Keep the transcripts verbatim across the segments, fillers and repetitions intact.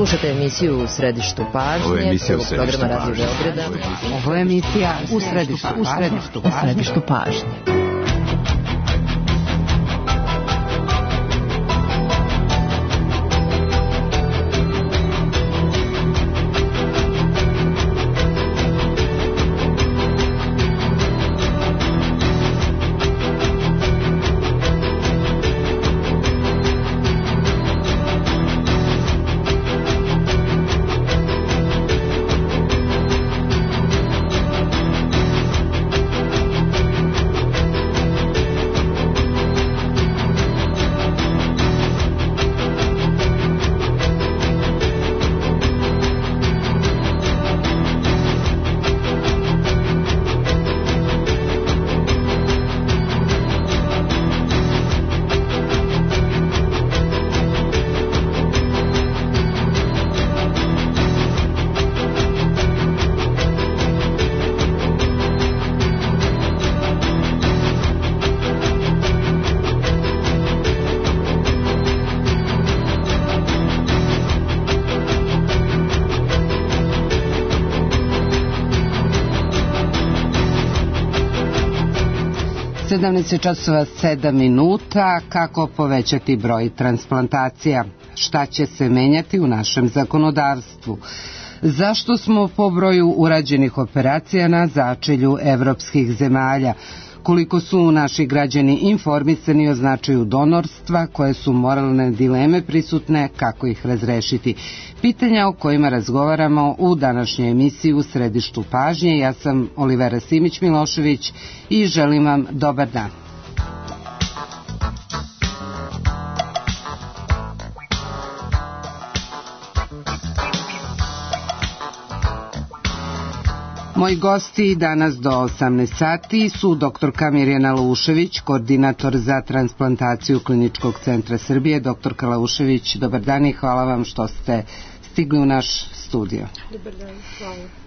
Slušajte emisiju U središtu pažnje, prvog programa Radio Beograda. Ovo je emisija U središtu, u središtu, u središtu pažnje. sedamnaest časova sedam minuta. Kako povećati broj transplantacija? Šta će se menjati u našem zakonodavstvu? Zašto smo po broju urađenih operacija na začelju evropskih zemalja? Koliko su naši građani informisani o značaju donorstva, koje su moralne dileme prisutne, kako ih razrešiti? Pitanja o kojima razgovaramo u današnjoj emisiji U središtu pažnje. Ja sam Olivera Simić-Milošević i želim vam dobar dan. Moji gosti danas do osamnaest sati su doktorka Mirjana Laušević, koordinator za transplantaciju Kliničkog centra Srbije. Doktorka Laušević, dobar dan i hvala vam što ste stigli u naš studio. Dobar dan, hvala.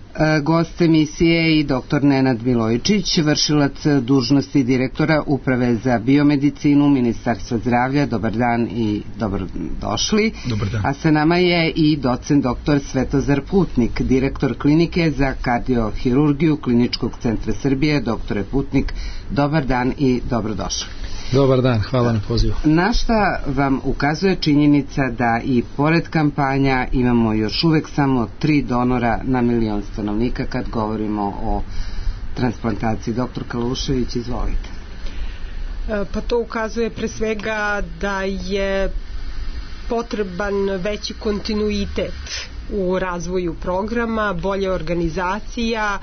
Gost emisije i doktor Nenad Milojičić, vršilac dužnosti direktora Uprave za biomedicinu Ministarstva zdravlja. Dobar dan i dobrodošli. Dobar dan. A sa nama je i docent doktor Svetozar Putnik, direktor klinike za kardiohirurgiju Kliničkog centra Srbije. Doktore Putnik, dobar dan i dobrodošli. Dobar dan, hvala na pozivu. Na šta vam ukazuje činjenica da i pored kampanja imamo još uvek samo tri donora na milion stanovnika kad govorimo o transplantaciji? Doktor Laušević, izvolite. Pa to ukazuje pre svega da je potreban veći kontinuitet u razvoju programa, bolja organizacija,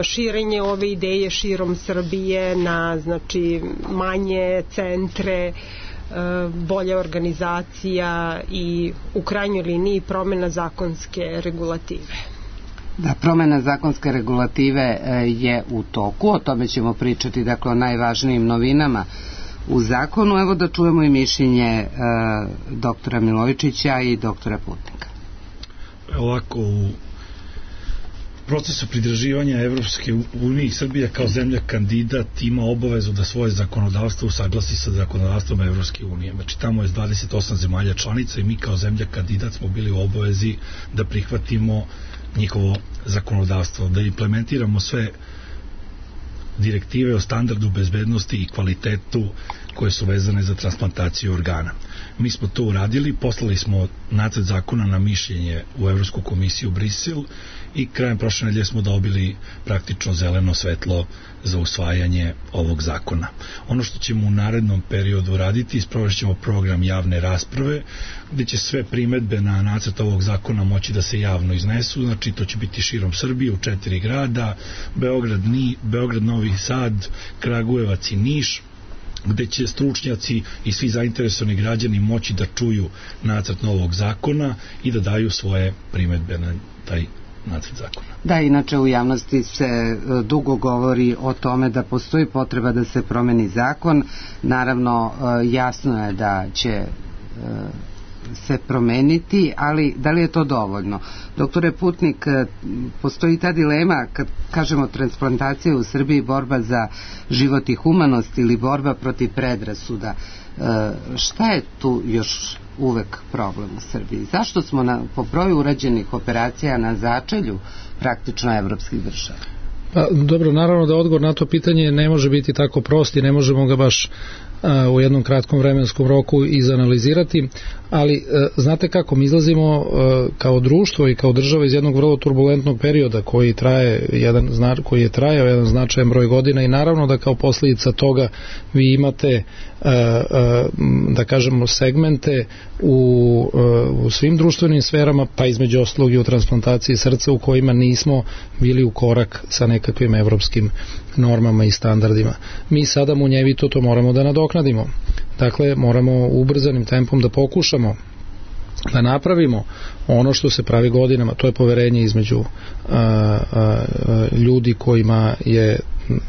širenje ove ideje širom Srbije na znači manje centre, bolja organizacija i u krajnjoj liniji promena zakonske regulative. Da, promena zakonske regulative je u toku, o tome ćemo pričati, dakle o najvažnijim novinama u zakonu. Evo da čujemo i mišljenje doktora Milojičića i doktora Putnika. Ovako, u procesu pridruživanja Evropske unije, Srbija kao zemlja kandidat ima obavezu da svoje zakonodavstvo usaglasi sa zakonodavstvom Evropske unije. Znači tamo je dvadeset osam zemalja članica i mi kao zemlja kandidat smo bili u obavezi da prihvatimo njihovo zakonodavstvo, da implementiramo sve direktive o standardu bezbednosti i kvalitetu koje su vezane za transplantaciju organa. Mi smo to uradili, poslali smo nacrt zakona na mišljenje u Evropsku komisiju u Brisel i krajem prošle nedelje smo dobili praktično zeleno svetlo za usvajanje ovog zakona. Ono što ćemo u narednom periodu raditi, sprovest ćemo program javne rasprave, gde će sve primedbe na nacrt ovog zakona moći da se javno iznesu, znači to će biti širom Srbije u četiri grada, Beograd, Ni, Beograd, Novi Sad, Kragujevac i Niš, gde će stručnjaci i svi zainteresovani građani moći da čuju nacrt novog zakona i da daju svoje primedbe na taj nacrt zakona. Da, inače u javnosti se dugo govori o tome da postoji potreba da se promeni zakon. Naravno, jasno je da će se promeniti, ali da li je to dovoljno? Doktore Putnik, postoji ta dilema kad kažemo transplantacija u Srbiji, borba za život i humanost ili borba protiv predrasuda. Šta je tu još uvek problem u Srbiji? Zašto smo na, po broju urađenih operacija na začelju praktično evropskih država? Pa, dobro, naravno da odgovor na to pitanje ne može biti tako prost i ne možemo ga baš a, u jednom kratkom vremenskom roku izanalizirati, ali a, znate kako, mi izlazimo a, kao društvo i kao država iz jednog vrlo turbulentnog perioda koji traje jedan, koji je trajao jedan značajan broj godina i naravno da kao posljedica toga vi imate a, a, da kažemo segmente u, a, u svim društvenim sferama, pa između ostalog i u transplantaciji srca u kojima nismo bili u korak sa nekakvim evropskim normama i standardima. Mi sada munjevito to moramo da nadoknadimo. Dakle, moramo ubrzanim tempom da pokušamo da napravimo ono što se pravi godinama, to je poverenje između a, a, ljudi kojima je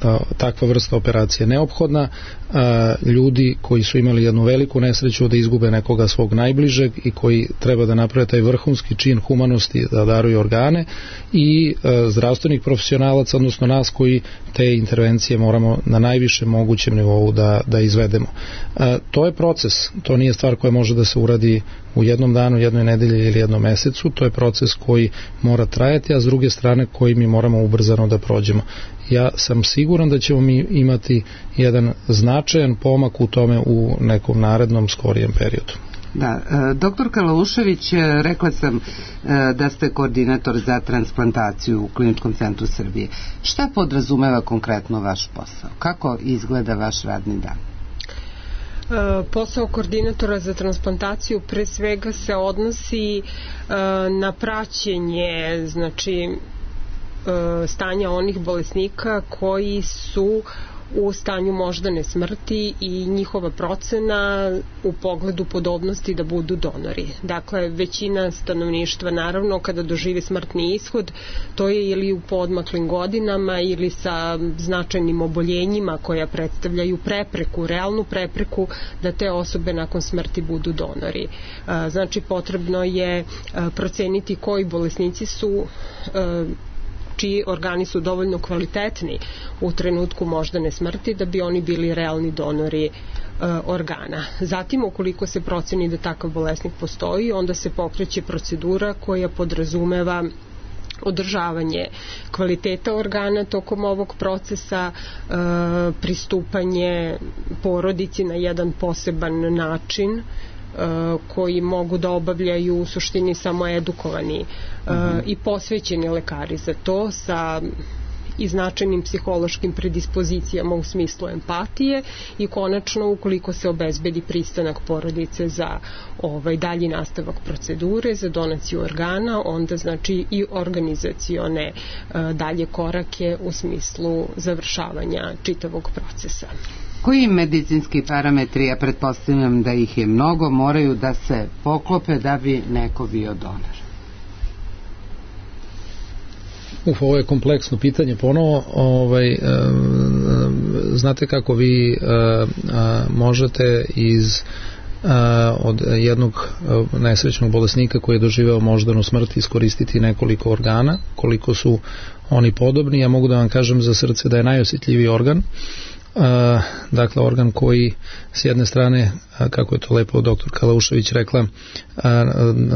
a, takva vrsta operacije neophodna, a, ljudi koji su imali jednu veliku nesreću da izgube nekoga svog najbližeg i koji treba da naprave taj vrhunski čin humanosti da daruju organe i a, zdravstvenih profesionalaca, odnosno nas koji te intervencije moramo na najvišem mogućem nivou da, da izvedemo. A, to je proces, to nije stvar koja može da se uradi u jednom danu, jednoj nedelji ili jednom mesecu, to je proces koji mora trajati, a s druge strane koji mi moramo ubrzano da prođemo. Ja sam siguran da ćemo mi imati jedan značajan pomak u tome u nekom narednom skorijem periodu. Da, doktor Kalaušević, rekla sam da ste koordinator za transplantaciju u Kliničkom centru Srbije. Šta podrazumeva konkretno vaš posao? Kako izgleda vaš radni dan? Posao koordinatora za transplantaciju pre svega se odnosi na praćenje, znači stanja onih bolesnika koji su u stanju moždane smrti i njihova procena u pogledu podobnosti da budu donori. Dakle, većina stanovništva naravno kada doživi smrtni ishod, to je ili u poodmaklim godinama ili sa značajnim oboljenjima koja predstavljaju prepreku, realnu prepreku da te osobe nakon smrti budu donori. Znači, potrebno je proceniti koji bolesnici su čiji organi su dovoljno kvalitetni u trenutku moždane smrti da bi oni bili realni donori e, organa. Zatim, ukoliko se proceni da takav bolesnik postoji, onda se pokreće procedura koja podrazumeva održavanje kvaliteta organa tokom ovog procesa, e, pristupanje porodici na jedan poseban način koji mogu da obavljaju u suštini samo edukovani uh-huh. i posvećeni lekari za to sa i značajnim psihološkim predispozicijama u smislu empatije i konačno ukoliko se obezbedi pristanak porodice za ovaj dalji nastavak procedure za donaciju organa, onda znači i organizacione uh, dalje korake u smislu završavanja čitavog procesa. Koji medicinski parametri, ja pretpostavljam da ih je mnogo, moraju da se poklope da bi neko bio donor? Uf, ovo je kompleksno pitanje ponovo. Ovaj, e, znate kako vi e, e, možete iz e, od jednog nesrećnog bolesnika koji je doživeo moždanu smrt iskoristiti nekoliko organa, koliko su oni podobni. Ja mogu da vam kažem za srce da je najosjetljiviji organ. Uh, dakle organ koji s jedne strane, uh, kako je to lepo doktor Kalaušević rekla, uh,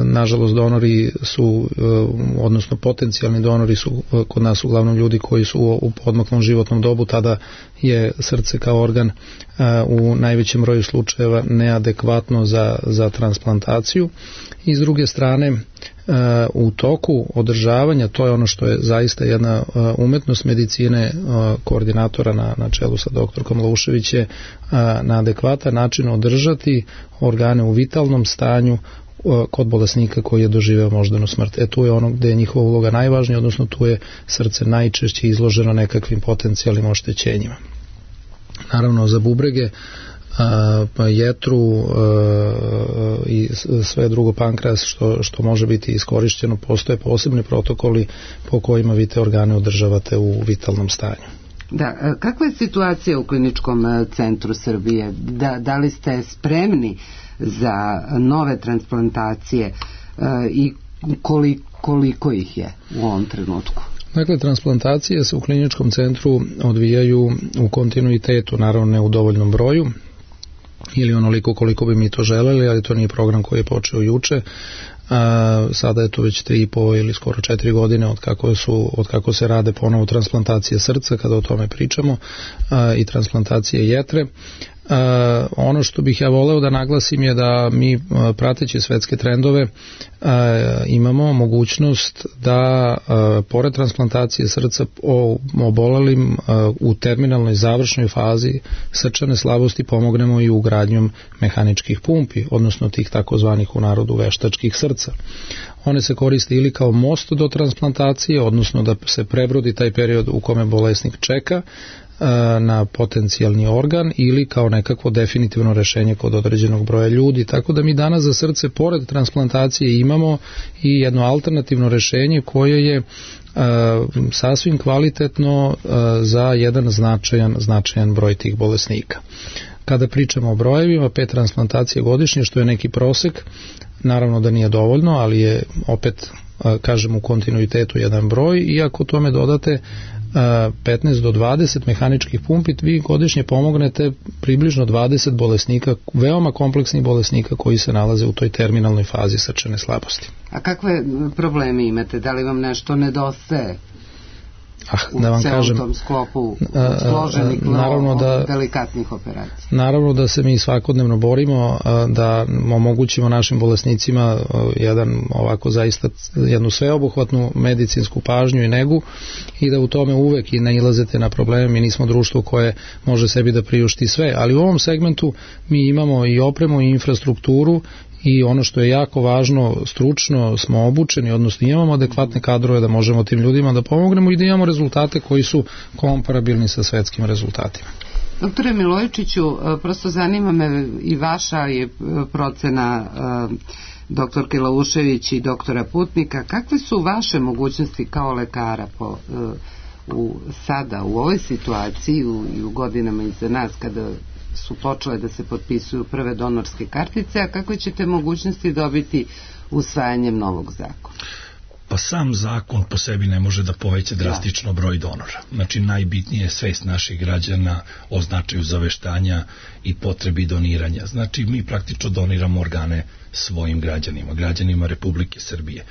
nažalost donori su, uh, odnosno potencijalni donori su uh, kod nas uglavnom ljudi koji su u, u podmaklom životnom dobu, tada je srce kao organ uh, u najvećem broju slučajeva neadekvatno za, za transplantaciju i s druge strane u toku održavanja, to je ono što je zaista jedna umetnost medicine koordinatora na, na čelu sa doktorkom Laušević je na adekvatan način održati organe u vitalnom stanju kod bolesnika koji je doživeo moždanu smrt. E tu je ono gde je njihova uloga najvažnija, odnosno tu je srce najčešće izloženo nekakvim potencijalnim oštećenjima. Naravno za bubrege, pa jetru i sve drugo, pankreas što, što može biti iskorišćeno, postoje posebni protokoli po kojima vi te organe održavate u vitalnom stanju. Da, kakva je situacija u Kliničkom centru Srbije? Da, da li ste spremni za nove transplantacije i koliko, koliko ih je u ovom trenutku? Dakle, transplantacije se u Kliničkom centru odvijaju u kontinuitetu, naravno ne u dovoljnom broju, ili onoliko koliko bi mi to želeli, ali to nije program koji je počeo juče. A, sada je to već tri i po ili skoro četiri godine od kako, su, od kako se rade ponovo transplantacije srca, kada o tome pričamo, a, i transplantacije jetre. Uh, ono što bih ja voleo da naglasim je da mi, uh, prateći svetske trendove, uh, imamo mogućnost da uh, pored transplantacije srca o obolelim uh, u terminalnoj završnoj fazi srčane slabosti pomognemo i ugradnjom mehaničkih pumpi, odnosno tih takozvanih u narodu veštačkih srca. One se koriste ili kao most do transplantacije, odnosno da se prebrodi taj period u kome bolesnik čeka na potencijalni organ, ili kao nekakvo definitivno rešenje kod određenog broja ljudi. Tako da mi danas za srce pored transplantacije imamo i jedno alternativno rešenje koje je uh, sasvim kvalitetno uh, za jedan značajan, značajan broj tih bolesnika. Kada pričamo o brojevima, pet transplantacije godišnje, što je neki prosek, naravno da nije dovoljno, ali je opet, uh, kažem, u kontinuitetu jedan broj, i ako tome dodate petnaest do dvadeset mehaničkih pumpi, vi godišnje pomognete približno dvadeset bolesnika, veoma kompleksnih bolesnika koji se nalaze u toj terminalnoj fazi srčane slabosti. A kakve probleme imate? Da li vam nešto nedostaje? Ah, da vam kažem, u tom sklopu složenih, naravno da, delikatnih operacija. Naravno da se mi svakodnevno borimo da omogućimo našim bolesnicima jedan ovako zaista jednu sveobuhvatnu medicinsku pažnju i negu, i da u tome uvek i nailazete na probleme. Mi nismo društvo koje može sebi da priušti sve, ali u ovom segmentu mi imamo i opremu i infrastrukturu, i ono što je jako važno, stručno smo obučeni, odnosno imamo adekvatne kadrove da možemo tim ljudima da pomognemo i da imamo rezultate koji su komparabilni sa svetskim rezultatima. Doktore Milojičiću, prosto zanima me i vaša je procena doktorke Laušević i doktora Putnika, kakve su vaše mogućnosti kao lekara po, u, sada u ovoj situaciji u, i u godinama iza nas kada su počele da se potpisuju prve donorske kartice, a kakve ćete mogućnosti dobiti usvajanjem novog zakona? Pa sam zakon po sebi ne može da poveća drastično broj donora. Znači najbitnije je svest naših građana o značaju zaveštanja i potrebi doniranja. Znači mi praktično doniramo organe svojim građanima, građanima Republike Srbije.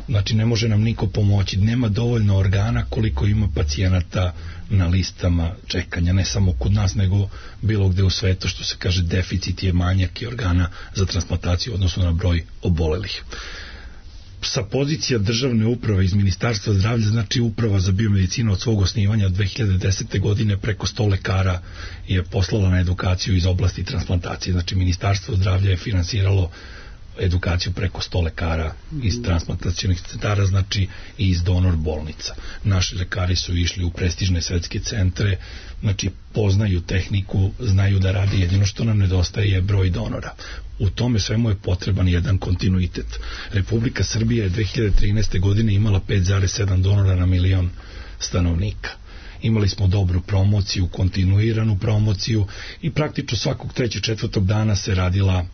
Znači ne može nam niko pomoći, nema dovoljno organa koliko ima pacijenata na listama čekanja, ne samo kod nas, nego bilo gde u svetu, što se kaže deficit je manjak i organa za transplantaciju odnosno na broj obolelih. Sa pozicija državne uprave iz Ministarstva zdravlja, znači uprava za biomedicinu od svog osnivanja od dve hiljade desete godine preko sto lekara je poslala na edukaciju iz oblasti transplantacije. Znači Ministarstvo zdravlja je finansiralo edukaciju preko sto lekara iz transplantacionih centara, znači i iz donor bolnica. Naši lekari su išli u prestižne svetske centre, znači poznaju tehniku, znaju da rade, jedino što nam nedostaje je broj donora. U tome svemu je potreban jedan kontinuitet. Republika Srbija je dve hiljade trinaeste. godine imala pet zarez sedam donora na milion stanovnika. Imali smo dobru promociju, kontinuiranu promociju i praktično svakog trećeg, četvrtog dana se radila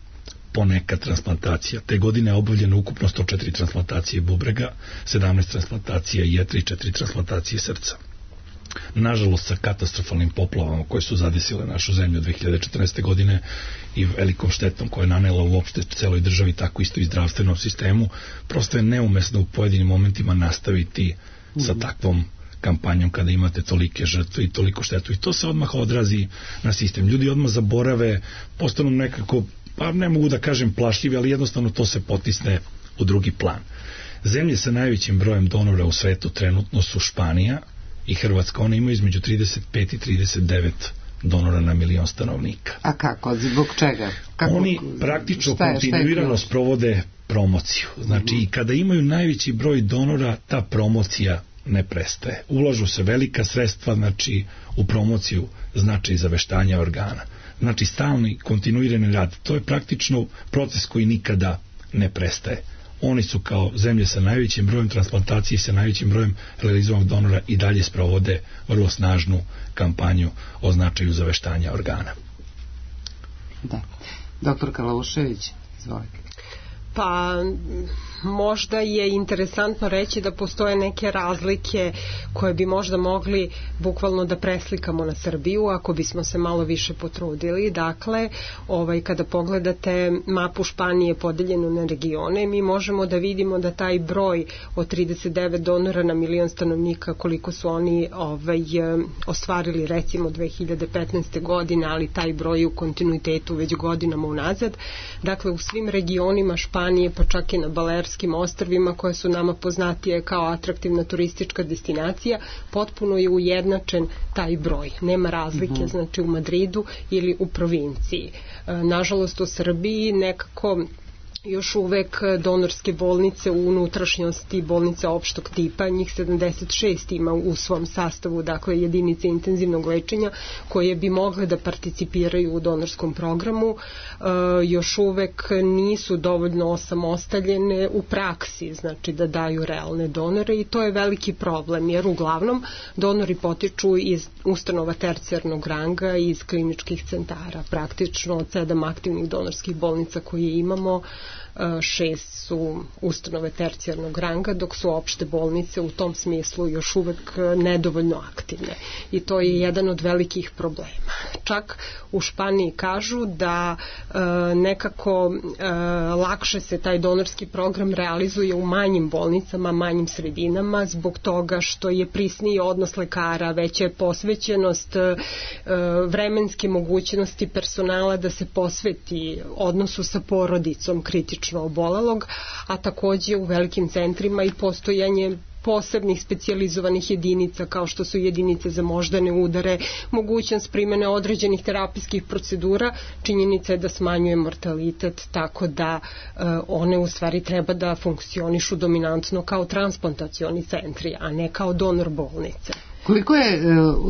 poneka transplantacija. Te godine je obavljeno ukupno sto četiri transplantacije bubrega, sedamnaest transplantacija jetre i četiri transplantacije srca. Nažalost, sa katastrofalnim poplavama koje su zadesile našu zemlju dve hiljade četrnaeste. godine i velikom štetom koja je nanela uopšte celoj državi, tako isto i zdravstvenom sistemu, prosto je neumesno u pojedinim momentima nastaviti sa takvom kampanjom kada imate tolike žrtve i toliko štetu. I to se odmah odrazi na sistem. Ljudi odmah zaborave, postanu nekako, pa ne mogu da kažem plašljivi, ali jednostavno to se potisne u drugi plan. Zemlje sa najvećim brojem donora u svetu trenutno su Španija i Hrvatska. One imaju između trideset pet i trideset devet donora na milion stanovnika. A kako? Zbog čega? Kako? Oni praktično kontinuirano sprovode promociju. Znači, i kada imaju najveći broj donora, ta promocija ne prestaje. Ulažu se velika sredstva, znači, u promociju značaj zaveštanja organa. Znači, stalni, kontinuirani rad. To je praktično proces koji nikada ne prestaje. Oni su kao zemlje sa najvećim brojem transplantacije i sa najvećim brojem realizovanog donora i dalje sprovode vrlo snažnu kampanju o značaju zaveštanja organa. Da. Doktor Kalaušević, izvolite. Pa možda je interesantno reći da postoje neke razlike koje bi možda mogli bukvalno da preslikamo na Srbiju ako bismo se malo više potrudili. Dakle, ovaj, kada pogledate mapu Španije podeljenu na regione, mi možemo da vidimo da taj broj od trideset devet donora na milion stanovnika, koliko su oni ovaj, ostvarili recimo dve hiljade petnaeste. godine, ali taj broj je u kontinuitetu već godinama unazad. Dakle, u svim regionima Španije, pa čak i na Balearskim ostrvima koje su nama poznatije kao atraktivna turistička destinacija, potpuno je ujednačen taj broj. Nema razlike, mm-hmm. znači u Madridu ili u provinciji. Nažalost, u Srbiji nekako još uvek donorske bolnice u unutrašnjosti, bolnice opštog tipa, njih sedamdeset šest ima u svom sastavu, dakle jedinice intenzivnog lečenja koje bi mogle da participiraju u donorskom programu, e, još uvek nisu dovoljno osamostaljene u praksi, znači da daju realne donore, i to je veliki problem, jer uglavnom donori potiču iz ustanova tercijarnog ranga i iz kliničkih centara. Praktično od sedam aktivnih donorskih bolnica koje imamo, šest su ustanove tercijarnog ranga, dok su opšte bolnice u tom smislu još uvek nedovoljno aktivne, i to je jedan od velikih problema. Čak u Španiji kažu da e, nekako e, lakše se taj donorski program realizuje u manjim bolnicama, manjim sredinama, zbog toga što je prisniji odnos lekara, veća je posvećenost, e, vremenske mogućnosti personala da se posveti odnosu sa porodicom kritično obolelog, a takođe u velikim centrima i postojanje posebnih specijalizovanih jedinica kao što su jedinice za moždane udare, mogućnost primene određenih terapijskih procedura, činjenica je da smanjuje mortalitet, tako da e, one u stvari treba da funkcionišu dominantno kao transplantacioni centri, a ne kao donor bolnice. Koliko je e,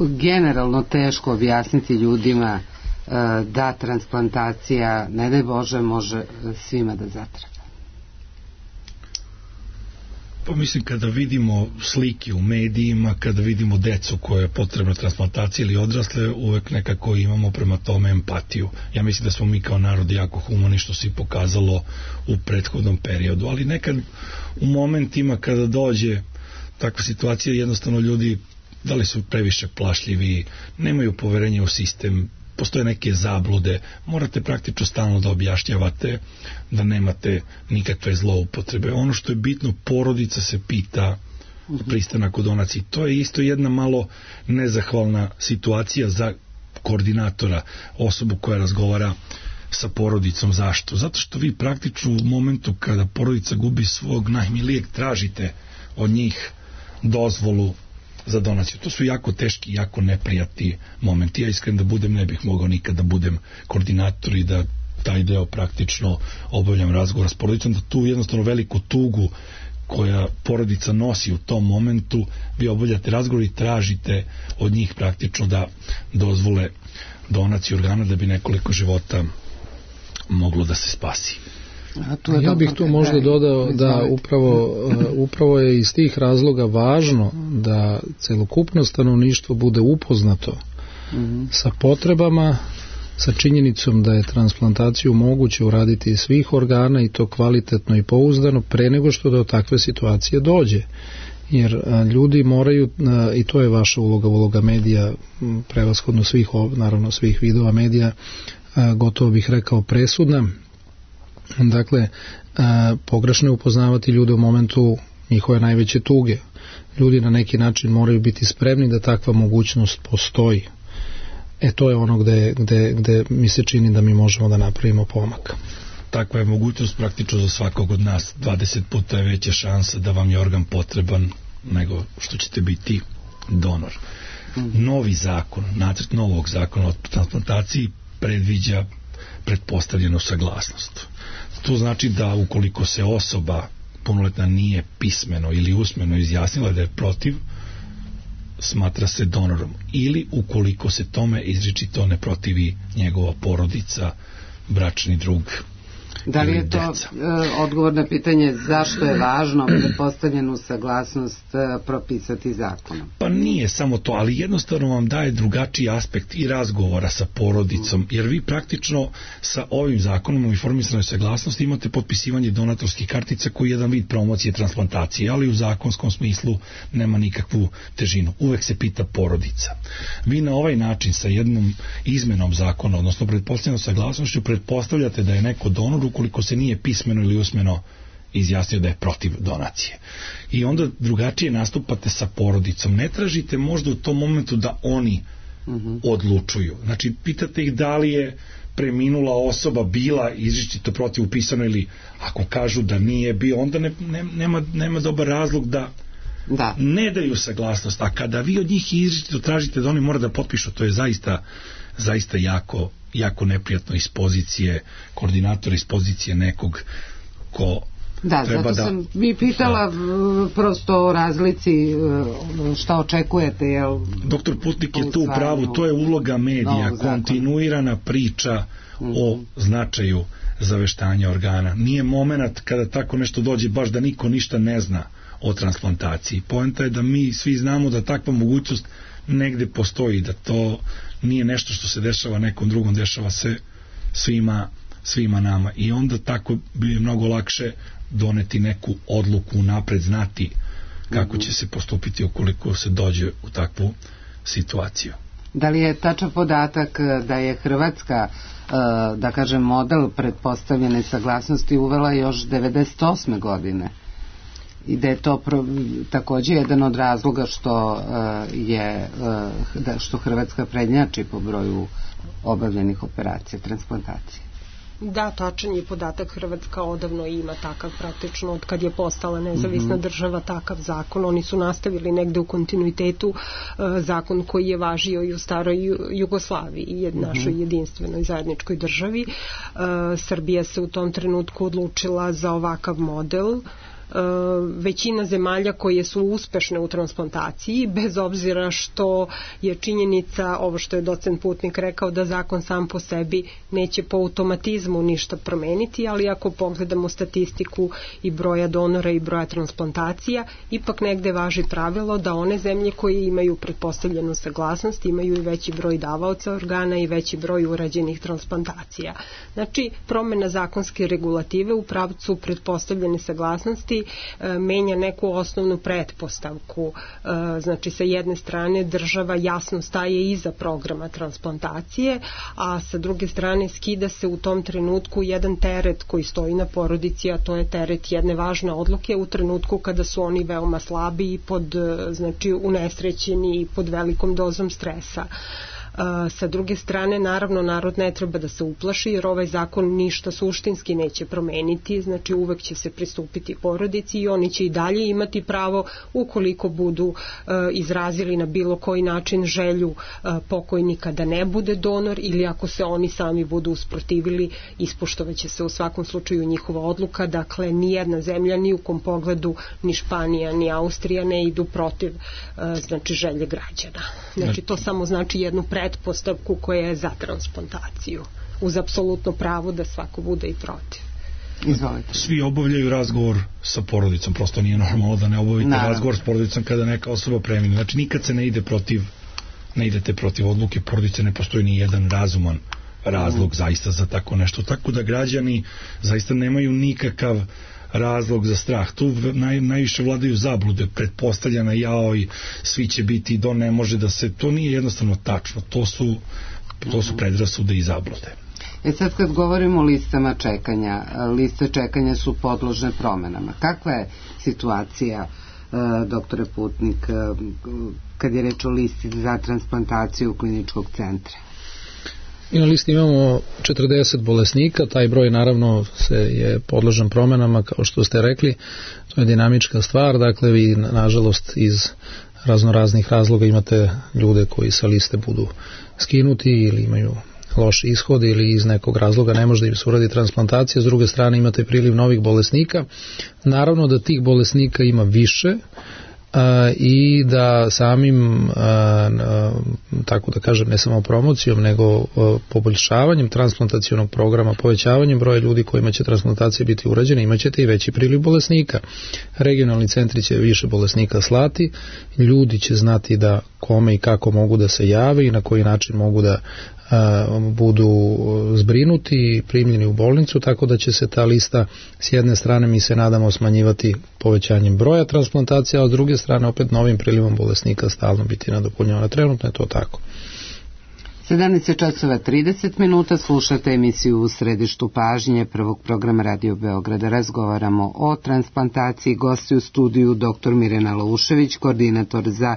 generalno teško objasniti ljudima e, da transplantacija, ne daj Bože, može svima da zatreba? Pa mislim, kada vidimo slike u medijima, kada vidimo decu koja je potrebna transplantacija ili odrasle, uvek nekako imamo prema tome empatiju. Ja mislim da smo mi kao narod jako humani, što se pokazalo u prethodnom periodu, ali nekad u momentima kada dođe takva situacija, jednostavno ljudi da li su previše plašljivi, nemaju poverenja u sistem, postoje neke zablude, morate praktično stalno da objašnjavate da nemate nikakve zloupotrebe. Ono što je bitno, porodica se pita pristanak u donaciji. To je isto jedna malo nezahvalna situacija za koordinatora, osobu koja razgovara sa porodicom. Zašto? Zato što vi praktično u momentu kada porodica gubi svog najmilijeg, tražite od njih dozvolu za donaciju. To su jako teški, jako neprijatni momenti. Ja iskren da budem, ne bih mogao nikada da budem koordinator i da taj deo praktično obavljam razgovor s porodicom, da tu jednostavno veliku tugu koja porodica nosi u tom momentu, vi obavljate razgovor i tražite od njih praktično da dozvole donaciju organa da bi nekoliko života moglo da se spasi. Ja bih tu možda dodao da upravo, upravo je iz tih razloga važno da celokupno stanovništvo bude upoznato mm-hmm. sa potrebama, sa činjenicom da je transplantaciju moguće uraditi iz svih organa i to kvalitetno i pouzdano pre nego što do takve situacije dođe. Jer ljudi moraju, i to je vaša uloga, uloga medija, prevashodno svih, naravno svih vidova medija, gotovo bih rekao presudna. Dakle, pogrešno je upoznavati ljude u momentu njihove najveće tuge. Ljudi na neki način moraju biti spremni da takva mogućnost postoji. E to je ono gde, gde, gde mi se čini da mi možemo da napravimo pomak. Takva je mogućnost praktično za svakog od nas. dvadeset puta je veća šansa da vam je organ potreban nego što ćete biti donor. Novi zakon, nacrt novog zakona o transplantaciji predviđa pretpostavljenu saglasnost. To znači da ukoliko se osoba punoletna nije pismeno ili usmeno izjasnila da je protiv, smatra se donorom. Ili ukoliko se tome izričito ne protivi njegova porodica, bračni drug Da li je to deca. Odgovor na pitanje zašto je važno pretpostavljenu saglasnost propisati zakonom? Pa nije samo to, ali jednostavno vam daje drugačiji aspekt i razgovora sa porodicom, jer vi praktično sa ovim zakonom o informisanoj saglasnosti imate potpisivanje donatorskih kartica koji je jedan vid promocije transplantacije, ali u zakonskom smislu nema nikakvu težinu. Uvek se pita porodica. Vi na ovaj način sa jednom izmenom zakona, odnosno pretpostavljenom saglasnošću, pretpostavljate da je neko donor ukoliko se nije pismeno ili usmeno izjasnio da je protiv donacije. I onda drugačije nastupate sa porodicom. Ne tražite možda u tom momentu da oni uh-huh. odlučuju. Znači, pitate ih da li je preminula osoba bila izričito protiv upisano ili ako kažu da nije bio, onda ne, ne, nema, nema dobar razlog da Da. ne daju saglasnost, a kada vi od njih izričito tražite da oni mora da potpišu, to je zaista zaista jako, jako neprijatno iz pozicije koordinatora, iz pozicije nekog ko da, treba zato da... sam mi pitala da. prosto o razlici šta očekujete, jel? Doktor Putnik je tu u pravu, to je uloga medija, kontinuirana priča mm-hmm. o značaju zaveštanja organa. Nije moment kada tako nešto dođe baš da niko ništa ne zna o transplantaciji. Poenta je da mi svi znamo da takva mogućnost negde postoji, da to nije nešto što se dešava nekom drugom, dešava se svima, svima nama. I onda tako bi mnogo lakše doneti neku odluku, napred znati kako će se postupiti ukoliko se dođe u takvu situaciju. Da li je tačan podatak da je Hrvatska, da kažem, model pretpostavljene saglasnosti uvela još devedeset osme godine? I da je to pro, takođe jedan od razloga što uh, je uh, da, što Hrvatska prednjači po broju obavljenih operacija transplantacije. Da, tačan je podatak. Hrvatska odavno ima takav, praktično od kad je postala nezavisna mm-hmm. država, takav zakon. Oni su nastavili negde u kontinuitetu uh, zakon koji je važio i u staroj Jugoslaviji i mm-hmm. našoj jedinstvenoj zajedničkoj državi. Uh, Srbija se u tom trenutku odlučila za ovakav model. Uh, većina zemalja koje su uspešne u transplantaciji, bez obzira što je činjenica, ovo što je docent Putnik rekao, da zakon sam po sebi neće po automatizmu ništa promeniti, ali ako pogledamo statistiku i broja donora i broja transplantacija, ipak negde važi pravilo da one zemlje koje imaju pretpostavljenu saglasnost imaju i veći broj davaoca organa i veći broj urađenih transplantacija. Znači, promena zakonske regulative u pravcu pretpostavljene saglasnosti menja neku osnovnu pretpostavku. Znači, sa jedne strane država jasno staje iza programa transplantacije, a sa druge strane skida se u tom trenutku jedan teret koji stoji na porodici, a to je teret jedne važne odluke u trenutku kada su oni veoma slabi i pod, znači, unesrećeni i pod velikom dozom stresa. Uh, sa druge strane, naravno, narod ne treba da se uplaši, jer ovaj zakon ništa suštinski neće promeniti, znači uvek će se pristupiti porodici i oni će i dalje imati pravo, ukoliko budu uh, izrazili na bilo koji način želju uh, pokojnika da ne bude donor, ili ako se oni sami budu usprotivili, ispoštovaće se u svakom slučaju njihova odluka. Dakle, ni jedna zemlja, ni u kom pogledu, ni Španija, ni Austrija ne idu protiv uh, znači želje građana. Znači, to samo znači jednu pre pretpostavku koja je za transplantaciju, uz apsolutno pravo da svako bude i protiv. Izvolite. Svi obavljaju razgovor sa porodicom, prosto nije normalno da ne obavite Naravno. razgovor s porodicom kada neka osoba premine. Znači, nikad se ne ide protiv, ne idete protiv odluke porodice, ne postoji ni jedan razuman razlog mm. zaista za tako nešto. Tako da građani zaista nemaju nikakav razlog za strah. Tu naj, najviše vladaju zablude, pretpostavljena jao i svi će biti do, ne može da se, to nije jednostavno tačno, to su, to su predrasude i zablude. E sad, kad govorimo o listama čekanja, liste čekanja su podložne promenama. Kakva je situacija, doktore Putnik, kad je reč o listi za transplantaciju kliničkog centra? I na listi imamo četrdeset bolesnika, taj broj naravno se je podložan promenama, kao što ste rekli, to je dinamička stvar, dakle vi nažalost iz raznoraznih razloga imate ljude koji sa liste budu skinuti ili imaju loš ishod ili iz nekog razloga ne može da im se uradi transplantacija, s druge strane imate priliv novih bolesnika. Naravno da tih bolesnika ima više, i da samim, tako da kažem, ne samo promocijom, nego poboljšavanjem transplantacionog programa, povećavanjem broja ljudi kojima će transplantacije biti urađene, imaćete i veći priliv bolesnika. Regionalni centri će više bolesnika slati, ljudi će znati da kome i kako mogu da se jave i na koji način mogu da budu zbrinuti i primljeni u bolnicu, tako da će se ta lista s jedne strane, mi se nadamo, smanjivati povećanjem broja transplantacija, a s druge strane opet novim prilivom bolesnika stalno biti nadopunjavana. Trenutno je to tako. sedamnaest časova trideset minuta, slušate emisiju U središtu pažnje prvog programa Radio Beograda. Razgovaramo o transplantaciji. Gosti u studiju dr. Mirjana Laušević, koordinator za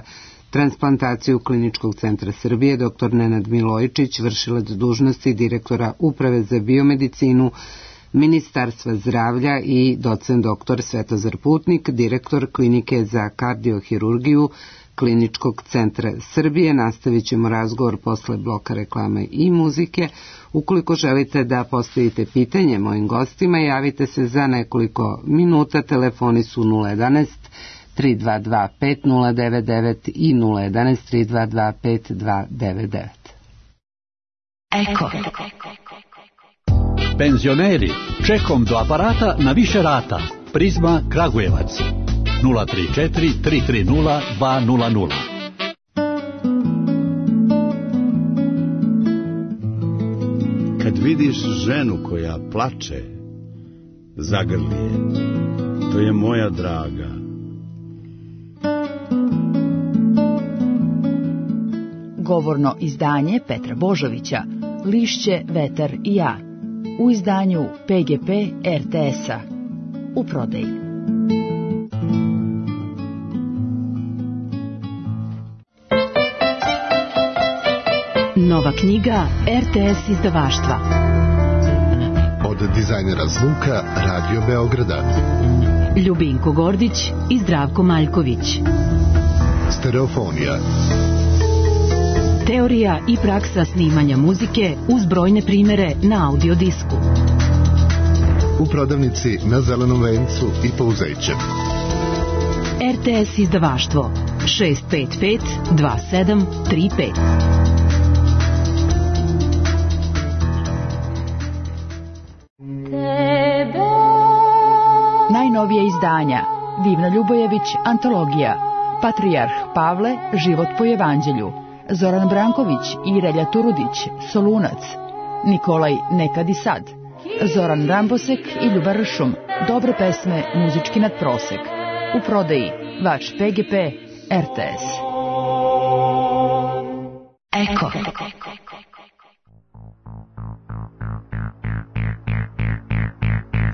transplantaciju Kliničkog centra Srbije, dr. Nenad Milojičić, vršilac dužnosti direktora Uprave za biomedicinu Ministarstva zdravlja i docent dr. Svetozar Putnik, direktor Klinike za kardiohirurgiju Kliničkog centra Srbije. Nastavit ćemo razgovor posle bloka reklame i muzike. Ukoliko želite da postavite pitanje mojim gostima, javite se za nekoliko minuta. Telefoni su nula jedanaest tri dva dva pet nula devet devet i nula jedanaest tri dva dva pet dva devet devet. Eko. Penzioneri, čekom do aparata na više rata. Prizma Kragujevac. nula tri četiri tri tri nula dva nula nula. Kad vidiš ženu koja plače, zagrli je. To je moja draga. Govorno izdanje Petra Božovića, Lišće, vetar i ja, u izdanju P G P R T S-a, u prodaji. Nova knjiga R T S izdavaštva. Od dizajnera zvuka Radio Beograda. Ljubinko Gordić i Zdravko Maljković. Stereofonija. Teorija i praksa snimanja muzike uz brojne primere na audio disku. U prodavnici na Zelenom vencu i Pouzeće. R T S izdavaštvo šest pet pet dva sedam tri pet. Najnovije izdanja: Divna Ljubojević, antologija, Patrijarh Pavle, život po evanđelju, Zoran Branković i Relja Turudić, Solunac, Nikolaj Nekad i sad, Zoran Rambosek i Ljuba Ršum, dobre pesme, muzički nadprosek. U prodaji vaš P G P R T S. Eko.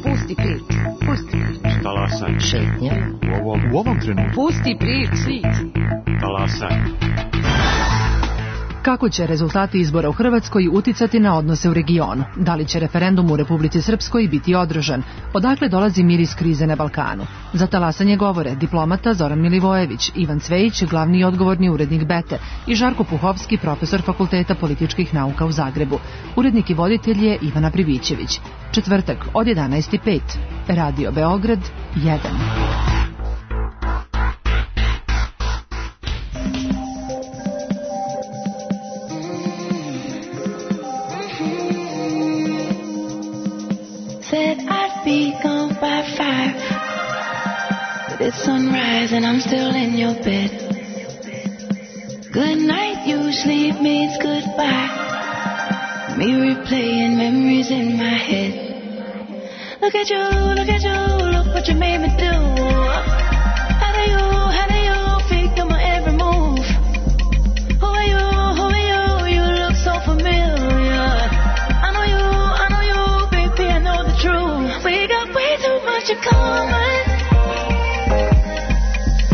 Pusti priču, pusti priču. Talasaj. Šetnja. U ovom, u ovom trenutku. Pusti priču. Talasaj. Kako će rezultati izbora u Hrvatskoj uticati na odnose u regionu? Da li će referendum u Republici Srpskoj biti održan? Odakle dolazi miris krize na Balkanu? Za talasanje govore diplomata Zoran Milivojević, Ivan Cvejić, glavni i odgovorni urednik Bete, i Žarko Puhovski, profesor Fakulteta političkih nauka u Zagrebu. Urednik i voditelj je Ivana Pribićević. Četvrtak od jedanaest i pet. Radio Beograd jedan. Said I'd be gone by five, but it's sunrise and I'm still in your bed. Good night usually means goodbye. Me replaying memories in my head. Look at you, look at you, look what you made me do. How do you, how do you figure my every move? Who are you, who are you, you look so familiar. I know you, I know you, baby, I know the truth. We got way too much in common.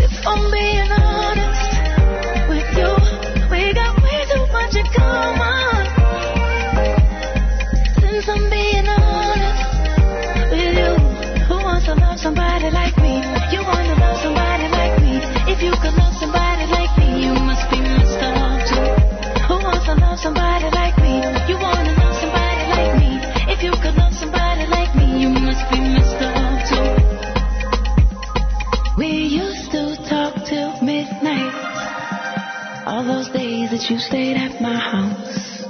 If I'm being honest with you, we got way too much in common. Since I'm being honest with you, who wants to love somebody like me? You want to love somebody like me. If you could love somebody like me, you must be Mister Love too. Who wants to love somebody like me? You want to love somebody like me. If you could love somebody like me, you must be Mister Love too. you stayed at my house.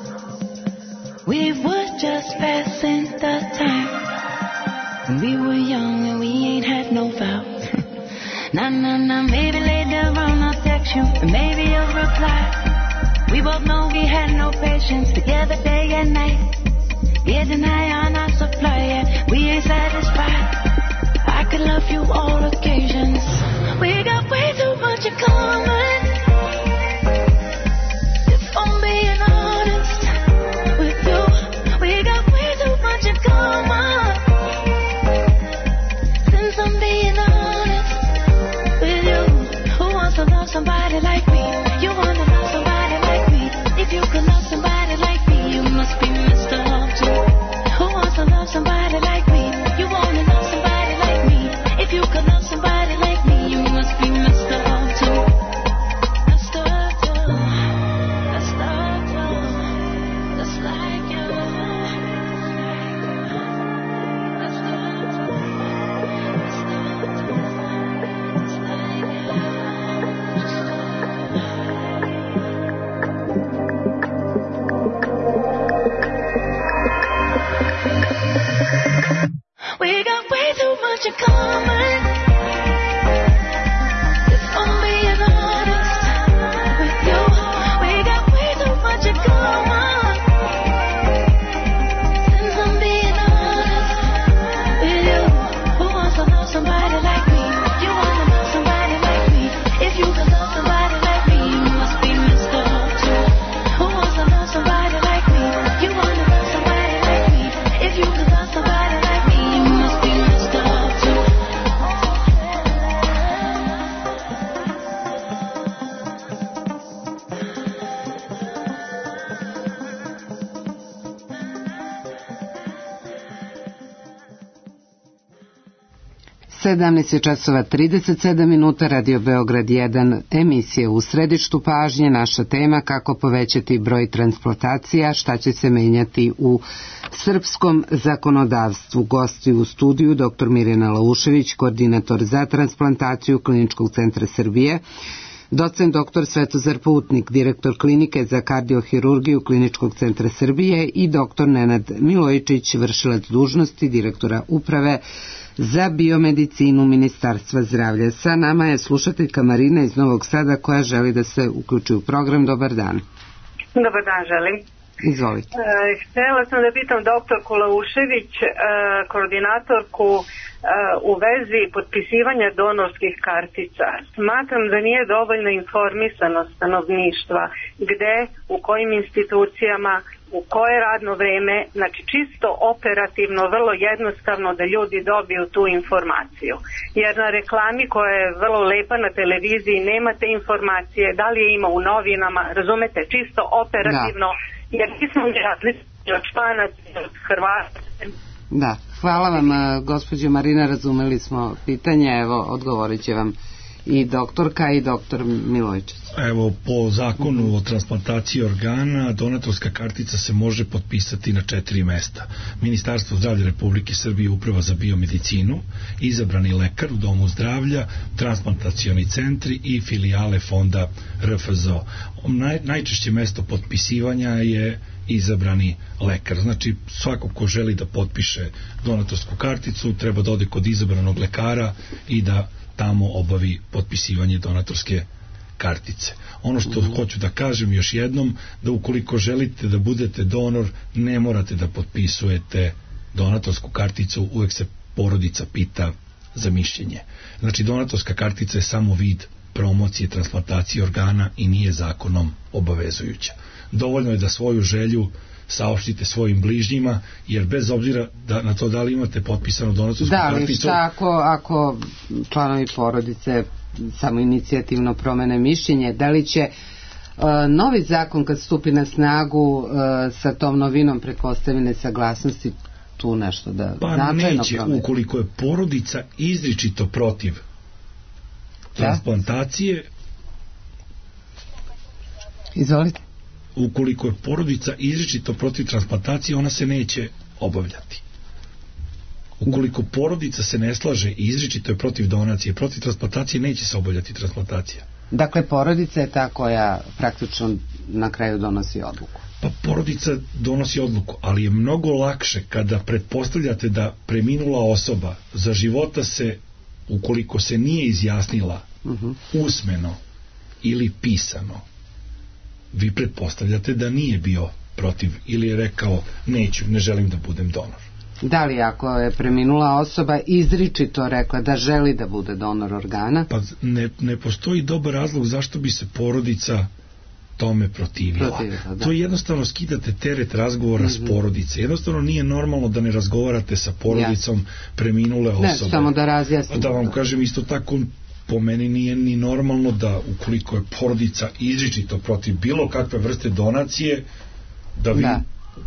We were just passing the time. We were young and we ain't had no vows. Nah, nah, nah, maybe later on I'll text you and maybe you'll reply. We both know we had no patience together day and night. Getting high on our supply, yeah, we ain't satisfied. I could love you all occasions. We got way too much in common. If I'm being honest with you, we got way too much in common. Since I'm being honest with you, who wants to love somebody like me? You want to love somebody like me? If you can love somebody like me, you must be Mister Love too. Who wants to love somebody like me? You want to love somebody like me? If you can love somebody like me, you must be Mister Love too. Mister Love too. Mister Love too. Just like you. Mister Love too. Mister Love too. Just like we got way too much in common. If I'm being honest with you, we got way too much in common. Since I'm being honest with you, who wants to love somebody like me? You want to love somebody like me? If you can love somebody like me, you must be Mister Love too. Who wants to love somebody like me? You want to love somebody like me? If you can love somebody like me, you must be Mister Love too. sedamnaest je časova trideset sedam minuta, Radio Beograd jedan, emisija U središtu pažnje, naša tema kako povećati broj transplantacija, šta će se menjati u srpskom zakonodavstvu. Gosti u studiju dr. Mirjana Laušević, koordinator za transplantaciju Kliničkog centra Srbije, docent dr. Svetozar Putnik, direktor klinike za kardiohirurgiju Kliničkog centra Srbije i dr. Nenad Milojičić, vršilac dužnosti direktora uprave za biomedicinu Ministarstva zdravlja. Sa nama je slušateljka Marina iz Novog Sada koja želi da se uključi u program. Dobar dan. Dobar dan, želim. Izvolite. E, htjela sam da pitam doktorku Laušević, e, koordinatorku e, u vezi potpisivanja donorskih kartica. Smatram da nije dovoljno informisanost stanovništva gde, u kojim institucijama, u koje radno vreme, znači čisto operativno, vrlo jednostavno da ljudi dobiju tu informaciju. Jer na reklami koja je vrlo lepa na televiziji nemate informacije, da li je ima u novinama, razumete, čisto operativno, da. Jer nismo različiti od Španaca i od Hrvata. Da, hvala vam gospođo Marina, razumeli smo pitanje, evo odgovorit će vam i doktorka i doktor Milojčić. Evo, po zakonu o transplantaciji organa donatorska kartica se može potpisati na četiri mesta. Ministarstvo zdravlja Republike Srbije, Uprava za biomedicinu, izabrani lekar u domu zdravlja, transplantacioni centri i filijale fonda R F Z O. Naj, najčešće mesto potpisivanja je izabrani lekar. Znači, svako ko želi da potpiše donatorsku karticu treba da ode kod izabranog lekara i da tamo obavi potpisivanje donatorske kartice. Ono što uh-huh. hoću da kažem još jednom, da ukoliko želite da budete donor, ne morate da potpisujete donatorsku karticu, uvek se porodica pita za mišljenje. Znači, donatorska kartica je samo vid promocije transplantacije organa i nije zakonom obavezujuća. Dovoljno je da svoju želju saopštite svojim bližnjima, jer bez obzira da, na to da li imate potpisanu donatorsku da, karticu... Da, li šta ako, ako članovi porodice samo inicijativno promene mišljenje, da li će uh, novi zakon kad stupi na snagu uh, sa tom novinom pretpostavljene saglasnosti tu nešto da pa značajno neće, promene? Ukoliko je porodica izričito protiv transplantacije... Da? Izvolite. Ukoliko je porodica izričito protiv transplantacije, ona se neće obavljati. Ukoliko porodica se ne slaže i izričito je protiv donacije, protiv transplantacije, neće se obavljati transplantacija. Dakle, porodica je ta koja praktično na kraju donosi odluku. Pa porodica donosi odluku, ali je mnogo lakše kada pretpostavljate da preminula osoba za života se, ukoliko se nije izjasnila uh-huh. usmeno ili pisano, vi pretpostavljate da nije bio protiv ili je rekao neću, ne želim da budem donor. Da li ako je preminula osoba izričito rekla da želi da bude donor organa? Pa ne, ne postoji dobar razlog zašto bi se porodica tome protivila. protivila to jednostavno skidate teret razgovora mm-hmm. s porodice. Jednostavno nije normalno da ne razgovarate sa porodicom ja. preminule osobe. Ne, samo da razjasnim. Da vam to. kažem isto tako, po meni nije ni normalno da ukoliko je porodica izričito protiv bilo kakve vrste donacije, da vi da.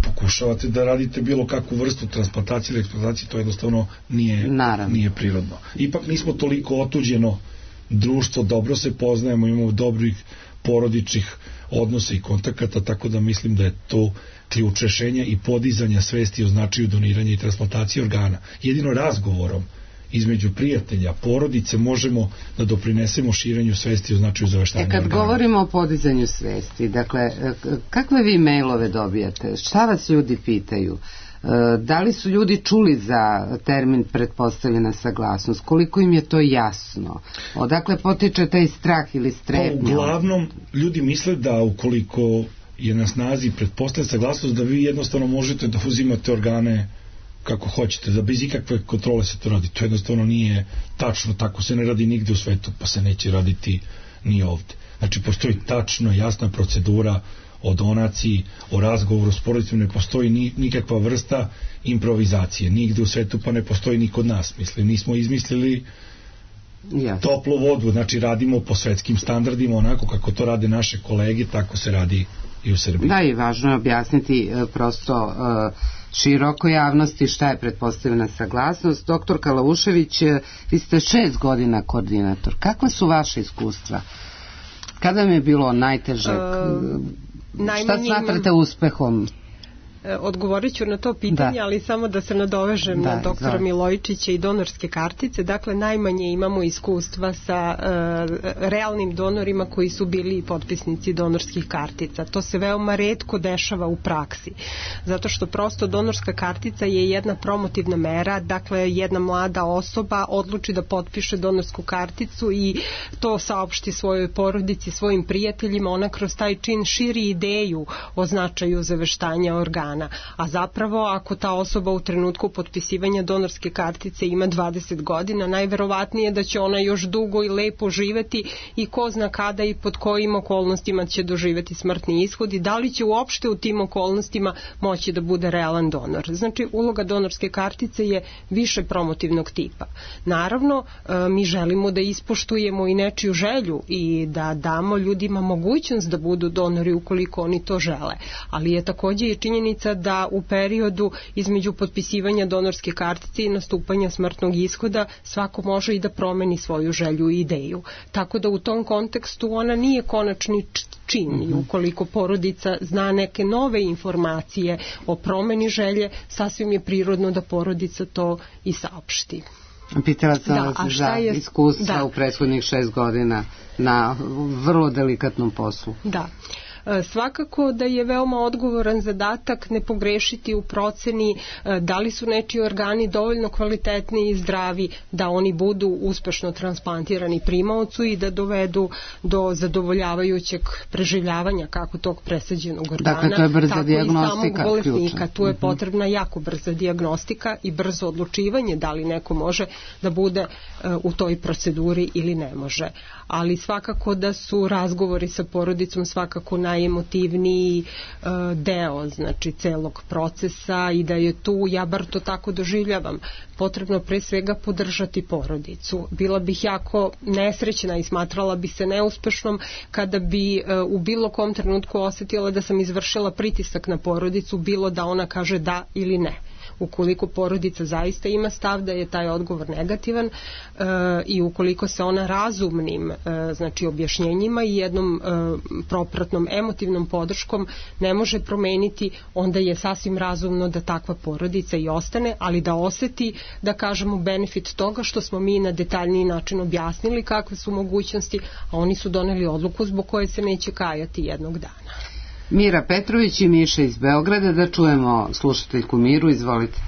pokušavate da radite bilo kakvu vrstu transplantacije ili eksplantacije, to jednostavno nije, nije prirodno. Ipak nismo toliko otuđeno društvo, dobro se poznajemo, imamo dobrih porodičnih odnosa i kontakata, tako da mislim da je to ključ rešenja i podizanja svesti o značaju doniranja i transplantacije organa. Jedino razgovorom između prijatelja, porodice možemo da doprinesemo širenju svesti o značaju zaveštanja organa. E kad organa. govorimo o podizanju svesti, dakle, kakve vi mailove dobijate? Šta vas ljudi pitaju? Da li su ljudi čuli za termin pretpostavljena saglasnost? Koliko im je to jasno? Odakle potiče taj strah ili strepnja? Pa, uglavnom, ljudi misle da ukoliko je na snazi pretpostavljena saglasnost, da vi jednostavno možete da uzimate organe kako hoćete, da bez ikakve kontrole se to radi. To jednostavno nije tačno, tako se ne radi nigde u svetu, pa se neće raditi ni ovde. Znači, postoji tačno jasna procedura o donaciji, o razgovoru s porodicom, ne postoji ni, nikakva vrsta improvizacije, nigde u svetu, pa ne postoji ni kod nas. Mislim, nismo izmislili yes. toplu vodu, znači radimo po svetskim standardima, onako kako to rade naše kolege, tako se radi i u Srbiji. Da, i važno je objasniti e, prosto e, široko javnosti šta je pretpostavljena saglasnost. Doktor Kalaušević, vi ste šest godina koordinator. Kakva su vaše iskustva? Kada mi je bilo najteže? Uh, šta smatrate imam... uspehom? Odgovorit ću na to pitanje, da. ali samo da se nadovežem da, na doktora da. Milojičića i donorske kartice. Dakle, najmanje imamo iskustva sa uh, realnim donorima koji su bili potpisnici donorskih kartica. To se veoma retko dešava u praksi. Zato što prosto donorska kartica je jedna promotivna mera, dakle jedna mlada osoba odluči da potpiše donorsku karticu i to saopšti svojoj porodici, svojim prijateljima, ona kroz taj čin širi ideju o značaju zaveštanja organa. A zapravo ako ta osoba u trenutku potpisivanja donorske kartice ima dvadeset godina, najverovatnije da će ona još dugo i lepo živeti i ko zna kada i pod kojim okolnostima će doživeti smrtni ishod i da li će uopšte u tim okolnostima moći da bude realan donor. Znači, uloga donorske kartice je više promotivnog tipa. Naravno, mi želimo da ispoštujemo i nečiju želju i da damo ljudima mogućnost da budu donori ukoliko oni to žele. Ali je takođe i činjenica da u periodu između potpisivanja donorske kartice i nastupanja smrtnog ishoda svako može i da promeni svoju želju i ideju. Tako da u tom kontekstu ona nije konačni čin. Mm-hmm. Ukoliko porodica zna neke nove informacije o promeni želje, sasvim je prirodno da porodica to i saopšti. Pitala sam da, vas za je... iskustva da. u prethodnih šest godina na vrlo delikatnom poslu. Da. Svakako da je veoma odgovoran zadatak ne pogrešiti u proceni da li su nečiji organi dovoljno kvalitetni i zdravi da oni budu uspešno transplantirani primaocu i da dovedu do zadovoljavajućeg preživljavanja kako tog presađenog organa, dakle, to je brza tako dijagnostika, i samog bolesnika. Tu je potrebna jako brza dijagnostika i brzo odlučivanje da li neko može da bude u toj proceduri ili ne može. Ali svakako da su razgovori sa porodicom svakako najemotivniji uh, deo, znači celog procesa i da je tu, ja bar to tako doživljavam, potrebno pre svega podržati porodicu. Bila bih jako nesrećna i smatrala bi se neuspešnom kada bi uh, u bilo kom trenutku osetila da sam izvršila pritisak na porodicu, bilo da ona kaže da ili ne. Ukoliko porodica zaista ima stav da je taj odgovor negativan i ukoliko se ona razumnim znači objašnjenjima i jednom propratnom emotivnom podrškom ne može promeniti, onda je sasvim razumno da takva porodica i ostane, ali da oseti, da kažemo, benefit toga što smo mi na detaljniji način objasnili kakve su mogućnosti, a oni su doneli odluku zbog koje se neće kajati jednog dana. Mira Petrović i Miša iz Beograda, da čujemo slušateljku Miru, izvolite.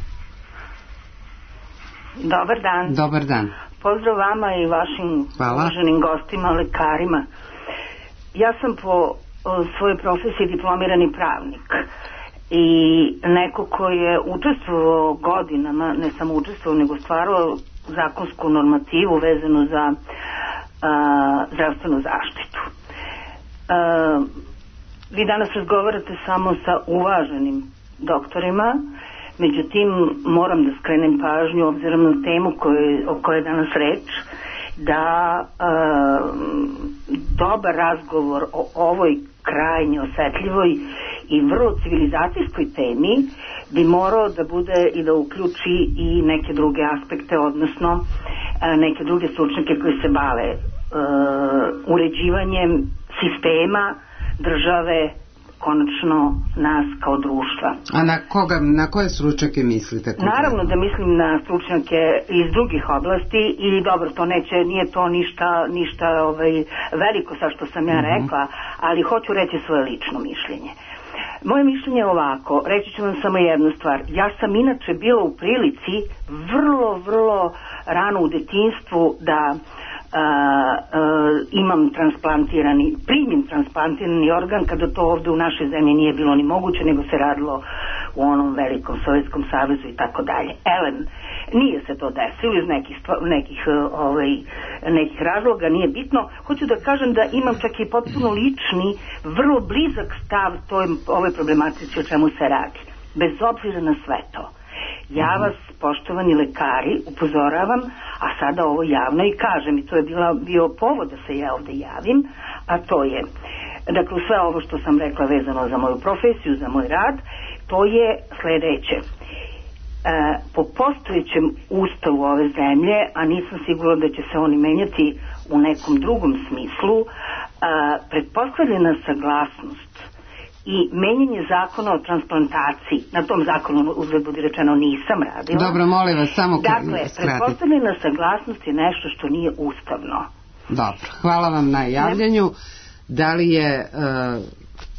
Dobar dan. Dobar dan. Pozdrav vama i vašim uvaženim gostima, lekarima. Ja sam po svojoj profesiji diplomirani pravnik i neko ko je učestvovao godinama, ne samo učestvovao, nego stvarao zakonsku normativu vezanu za a, zdravstvenu zaštitu. A, vi danas razgovarate samo sa uvaženim doktorima, međutim moram da skrenem pažnju obzirom na temu koje, o kojoj je danas reč, da a, dobar razgovor o ovoj krajnje osetljivoj i vrlo civilizacijskoj temi bi morao da bude i da uključi i neke druge aspekte, odnosno a, neke druge stručnjake koji se bave a, uređivanjem sistema države, konačno nas kao društva. A na koga, na koje stručnjake mislite? Naravno da mislim na stručnjake iz drugih oblasti i dobro, to neće, nije to ništa, ništa ovaj, veliko sa što sam ja rekla, ali hoću reći svoje lično mišljenje. Moje mišljenje je ovako, reći ću vam samo jednu stvar. Ja sam inače bila u prilici vrlo, vrlo rano u detinjstvu da Uh, uh, imam transplantirani, primim transplantirani organ, kada to ovde u našoj zemlji nije bilo ni moguće, nego se radilo u onom velikom Sovjetskom savezu i tako dalje. Elem, nije se to desilo iz nekih, nekih, ovaj, nekih razloga, nije bitno. Hoću da kažem da imam čak i potpuno lični, vrlo blizak stav toj, ovoj problematici o čemu se radi. Bez obzira na sve to. Ja vas, poštovani lekari, upozoravam, a sada ovo javno i kažem, i to je bila, bio povod da se ja ovde javim, a to je, dakle, sve ovo što sam rekla vezano za moju profesiju, za moj rad, to je sledeće. E, po postojećem ustavu ove zemlje, a nisam sigurna da će se oni menjati u nekom drugom smislu, e, pretpostavljena saglasnost i menjanje zakona o transplantaciji, na tom zakonu uzgled budi rečeno nisam radila. Dobro, molim vas, samo dakle, pretpostavljena saglasnost je nešto što nije ustavno. Dobro, hvala vam na javljanju. Da li je uh,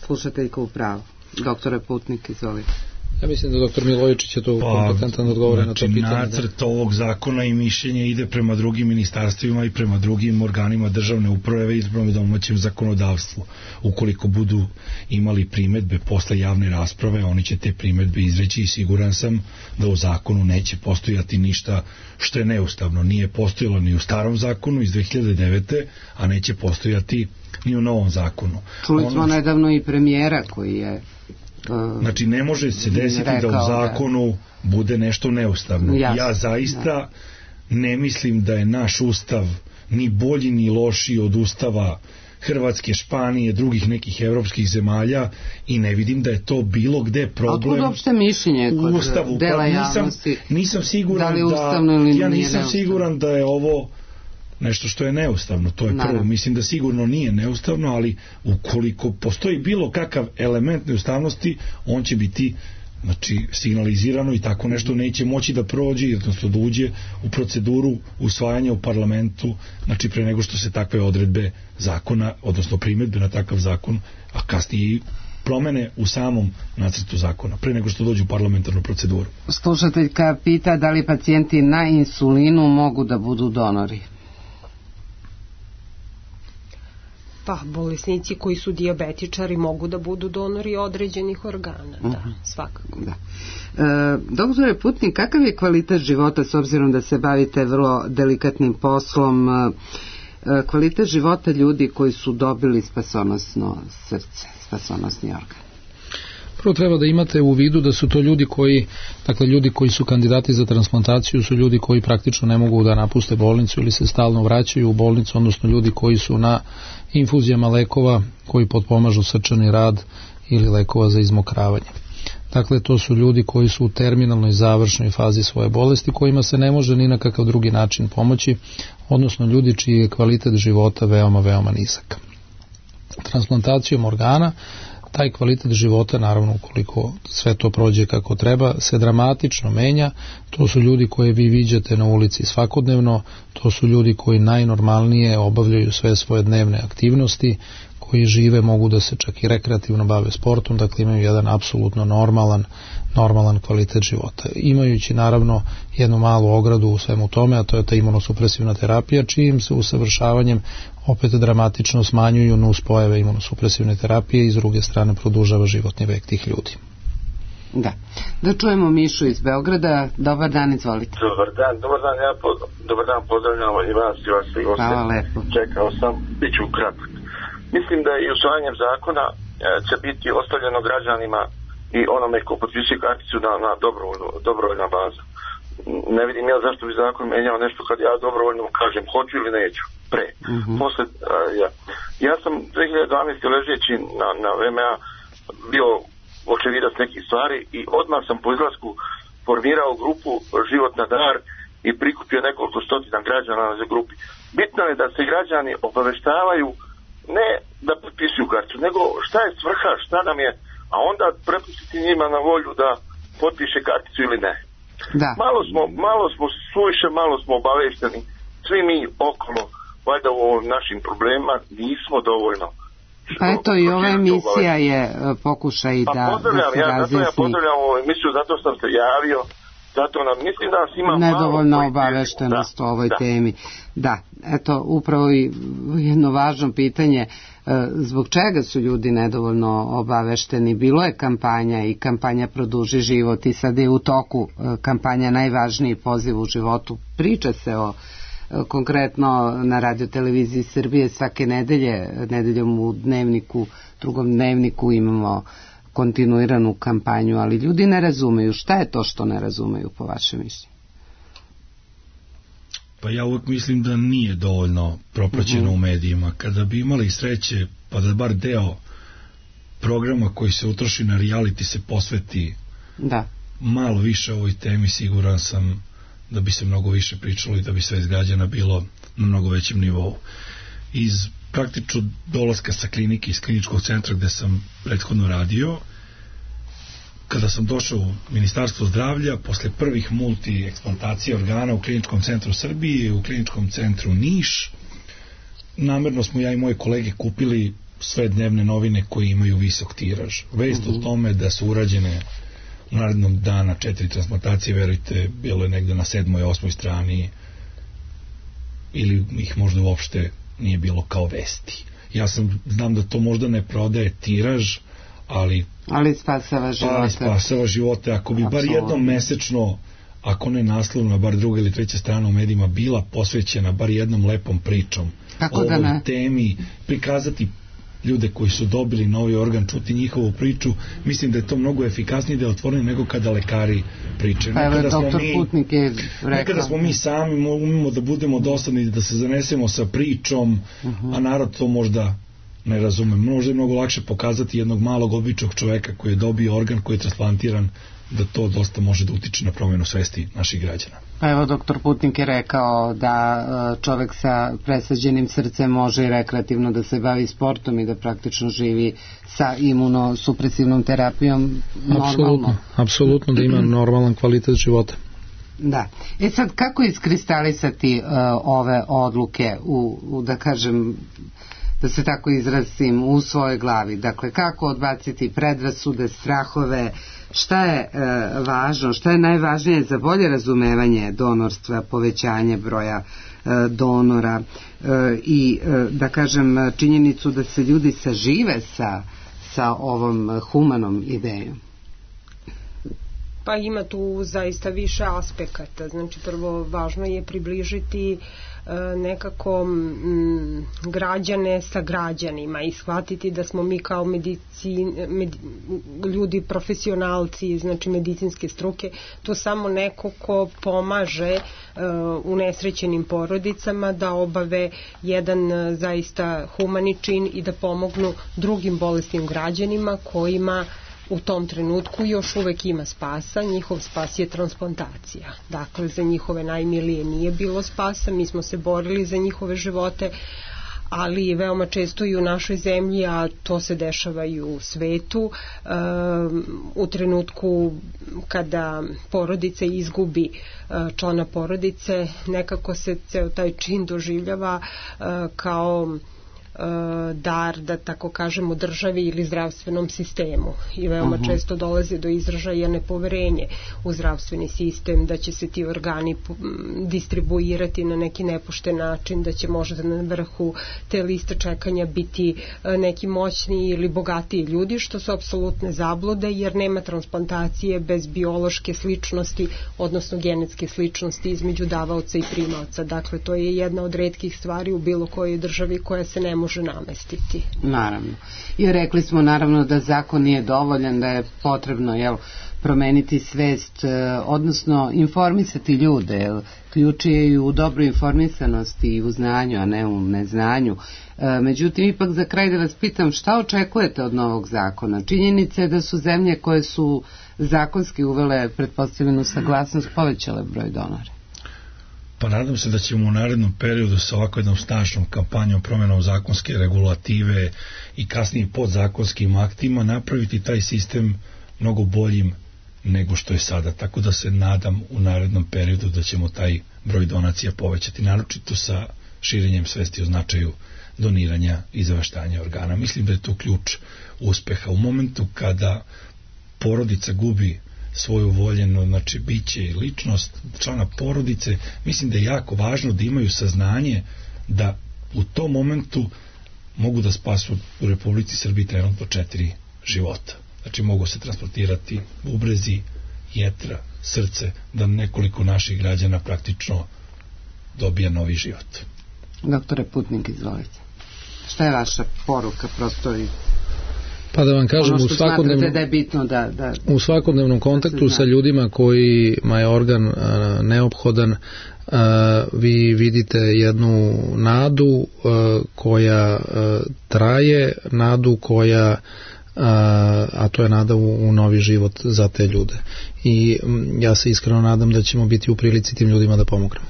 slušateljka u pravu? Doktore Putnik, izvolite. Ja mislim da doktor Milojičić je to pa, kompetentan odgovore znači, na to pitanje. Nacrt ovog zakona i mišljenje ide prema drugim ministarstvima i prema drugim organima državne uprave i prema domaćem zakonodavstvu. Ukoliko budu imali primetbe posle javne rasprave, oni će te primetbe izreći i siguran sam da u zakonu neće postojati ništa što je neustavno. Nije postojalo ni u starom zakonu iz dve hiljade devete. a neće postojati ni u novom zakonu. Čuli smo ono... nedavno i premijera koji je znači ne može se desiti da u zakonu bude nešto neustavno. Jasno, ja zaista ja. ne mislim da je naš ustav ni bolji ni lošiji od ustava Hrvatske, Španije, drugih nekih evropskih zemalja i ne vidim da je to bilo gde problem. Otkud uopšte mišljenje kod ustavu, dela pa nisam, javnosti? Nisam siguran da, da ja nisam siguran da je ovo nešto što je neustavno, to je prvo. Naravno. Mislim da sigurno nije neustavno, ali ukoliko postoji bilo kakav element neustavnosti, on će biti znači signalizirano i tako nešto neće moći da prođe, odnosno da uđe u proceduru usvajanja u parlamentu, znači pre nego što se takve odredbe zakona, odnosno primedbe na takav zakon, a kasnije i promene u samom nacrtu zakona, pre nego što dođu u parlamentarnu proceduru. Slušateljka pita da li pacijenti na insulinu mogu da budu donori? Pa, bolesnici koji su dijabetičari mogu da budu donori određenih organa, da, uh-huh. svakako. Da. E, doktore Putnik, kakav je kvalitet života, s obzirom da se bavite vrlo delikatnim poslom, e, kvalitet života ljudi koji su dobili spasonosno srce, spasonosni organ? Prvo treba da imate u vidu da su to ljudi koji, dakle ljudi koji su kandidati za transplantaciju su ljudi koji praktično ne mogu da napuste bolnicu ili se stalno vraćaju u bolnicu, odnosno ljudi koji su na infuzijama lekova koji potpomažu srčani rad ili lekova za izmokravanje. Dakle, to su ljudi koji su u terminalnoj završnoj fazi svoje bolesti, kojima se ne može ni na kakav drugi način pomoći, odnosno ljudi čiji je kvalitet života veoma, veoma nizak. Transplantacijom organa taj kvalitet života, naravno ukoliko sve to prođe kako treba, se dramatično menja. To su ljudi koje vi viđate na ulici svakodnevno, to su ljudi koji najnormalnije obavljaju sve svoje dnevne aktivnosti, koji žive, mogu da se čak i rekreativno bave sportom, dakle imaju jedan apsolutno normalan, normalan kvalitet života. Imajući naravno jednu malu ogradu u svemu tome, a to je ta imunosupresivna terapija, čijim se usavršavanjem opet dramatično smanjuju nuspojave imunosupresivne terapije i s druge strane produžava životni vek tih ljudi. Da. Da čujemo Mišu iz Beograda. Dobar dan, izvolite. Dobar dan, dobar dan, ja pod, dobar dan, pozdravljam i vas i vas i goste. Čekao sam, bit ću kratak. Mislim da i usvajanjem zakona e, će biti ostavljeno građanima i onome ko potpisuje karticu na, na dobrovoljnu, dobrovoljna baza. Ne vidim ja zašto bi zakon menjao nešto kad ja dobrovoljno kažem hoću ili neću. Pre. Mm-hmm. Posle, a, ja. ja sam dve hiljade dvanaeste. ležeći na, na V M A bio očevidac nekih stvari i odmah sam po izlasku formirao grupu Život na dar i prikupio nekoliko stotina građana na grupi. Bitno je da se građani obaveštavaju ne da potpisuju kartu, nego šta je svrha, šta nam je, a onda prepustiti njima na volju da potpiše karticu ili ne. Da. Malo smo, malo smo suviše, malo smo obavešteni, svi mi okolo, valjda u ovim našim problemima nismo dovoljno. Pa eto i ova emisija je pokušaj da, pa pozdravljam, da se ja, razjasni. Ja pozdravljam ovu emisiju, zato sam se javio, zato nam, mislim da nas ima nedovoljno malo obaveštenost da, o ovoj da. temi. Da, eto, upravo i jedno važno pitanje, zbog čega su ljudi nedovoljno obavešteni? Bilo je kampanja i kampanja Produži život i sad je u toku kampanja Najvažniji poziv u životu. Priča se o konkretno na Radio-televiziji Srbije svake nedelje, nedeljom u dnevniku, drugom dnevniku imamo kontinuiranu kampanju, ali ljudi ne razumeju. Šta je to što ne razumeju po vašem mišljenju? Pa ja uvijek mislim da nije dovoljno propraćeno uh-huh. u medijima. Kada bi imali sreće, pa da bar deo programa koji se utroši na reality se posveti da. malo više ovoj temi, siguran sam da bi se mnogo više pričalo i da bi sve izgrađena bilo na mnogo većem nivou. Iz praktično dolaska sa klinike, iz kliničkog centra gde sam prethodno radio, kada sam došao u Ministarstvo zdravlja, posle prvih multi-eksplantacija organa u kliničkom centru Srbije, u kliničkom centru Niš, namerno smo ja i moje kolege kupili sve dnevne novine koji imaju visok tiraž. Vest uh-huh. o tome da su urađene u narednom dana četiri transplantacije, verujte, bilo je negde na sedmoj, osmoj strani ili ih možda uopšte nije bilo kao vesti. Ja sam, znam da to možda ne prodaje tiraž, ali ali spasava živote. Ali spasava živote. Ako bi Absolutno. bar jednom mesečno, ako ne naslovna, bar druga ili treća strana u medijima bila posvećena bar jednom lepom pričom Kako o da ovoj temi, prikazati ljude koji su dobili novi organ, čuti njihovu priču, mislim da je to mnogo efikasnije, da je otvoreno nego kada lekari pričaju. Pa evo, doktor Putnik je rekao. Nekada smo mi sami umimo da budemo dosadni, da se zanesemo sa pričom, uh-huh. a narod to možda ne razume. Možda je mnogo lakše pokazati jednog malog običnog čoveka koji je dobio organ, koji je transplantiran, da to dosta može da utiče na promjenu svesti naših građana. Pa evo, doktor Putnik je rekao da čovek sa presađenim srcem može i rekreativno da se bavi sportom i da praktično živi sa imunosupresivnom terapijom normalno. Apsolutno, apsolutno da ima normalan kvalitet života. Da. E sad, kako iskristalisati uh, ove odluke u, u, da kažem, da se tako izrazim, u svojoj glavi? Dakle, kako odbaciti predrasude, strahove, šta je e, važno, šta je najvažnije za bolje razumevanje donorstva, povećanje broja e, donora e, i, e, da kažem, činjenicu da se ljudi sažive sa, sa ovom humanom idejom? Pa ima tu zaista više aspekata. Znači, prvo, važno je približiti nekako m, građane sa građanima i shvatiti da smo mi kao medicin, med, ljudi profesionalci, znači medicinske struke, to samo neko ko pomaže uh, unesrećenim porodicama da obave jedan uh, zaista humani čin i da pomognu drugim bolesnim građanima kojima u tom trenutku još uvek ima spasa, njihov spas je transplantacija. Dakle, za njihove najmilije nije bilo spasa, mi smo se borili za njihove živote, ali veoma često i u našoj zemlji, a to se dešava i u svetu, u trenutku kada porodica izgubi člana porodice, nekako se ceo taj čin doživljava kao dar, da tako kažemo, državi ili zdravstvenom sistemu i veoma uh-huh. često dolazi do izražaja nepoverenje u zdravstveni sistem, da će se ti organi distribuirati na neki nepošten način, da će možda na vrhu te liste čekanja biti neki moćni ili bogatiji ljudi, što su apsolutne zablude, jer nema transplantacije bez biološke sličnosti, odnosno genetske sličnosti između davaoca i primaoca. Dakle, to je jedna od retkih stvari u bilo kojoj državi koja se ne može može namestiti. Naravno. I rekli smo naravno da zakon nije dovoljan, da je potrebno jel, promeniti svest, odnosno informisati ljude. Jel, ključ je i u dobroj informisanosti i u znanju, a ne u neznanju. Međutim, ipak za kraj da vas pitam, šta očekujete od novog zakona? Činjenica je da su zemlje koje su zakonski uvele pretpostavljenu saglasnost povećale broj donora. Pa nadam se da ćemo u narednom periodu sa ovako jednom snažnom kampanjom promjenom zakonske regulative i kasnije podzakonskim aktima napraviti taj sistem mnogo boljim nego što je sada. Tako da se nadam u narednom periodu da ćemo taj broj donacija povećati, naročito sa širenjem svesti o značaju doniranja i zavaštanja organa. Mislim da je to ključ uspeha. U momentu kada porodica gubi svoju voljenu, znači biće i ličnost člana porodice, mislim da je jako važno da imaju saznanje da u tom momentu mogu da spasu u Republici Srbiji trenutno četiri života. Znači mogu se transportirati bubrezi, jetra, srce, da nekoliko naših građana praktično dobija novi život. Doktore Putnik, izvolite. Šta je vaša poruka, prosto i pa da vam kažem, ono u svakodnevnom, da je bitno da, da, u svakodnevnom kontaktu da sa ljudima kojima je organ a, neophodan, a, vi vidite jednu nadu a, koja a, traje, nadu koja a, a to je nada u, u novi život za te ljude. I m, ja se iskreno nadam da ćemo biti u prilici tim ljudima da pomognemo.